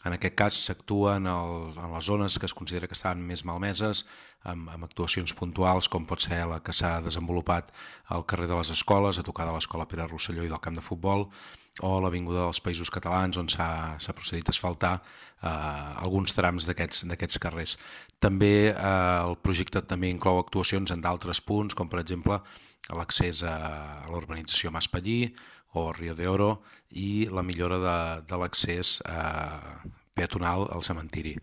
En aquest cas s'actua en les zones que es considera que estan més malmeses, amb actuacions puntuals, com pot ser la que s'ha desenvolupat al carrer de les Escoles, a tocar de l'Escola Pere Rosselló i del camp de futbol, o l'Avinguda dels Països Catalans, on s'ha procedit a asfaltar alguns trams d'aquests carrers. També el projecte també inclou actuacions en d'altres punts, com per exemple l'accés a l'urbanització Maspallí o Rio de Oro i la millora de l'accés peatonal al cementiri.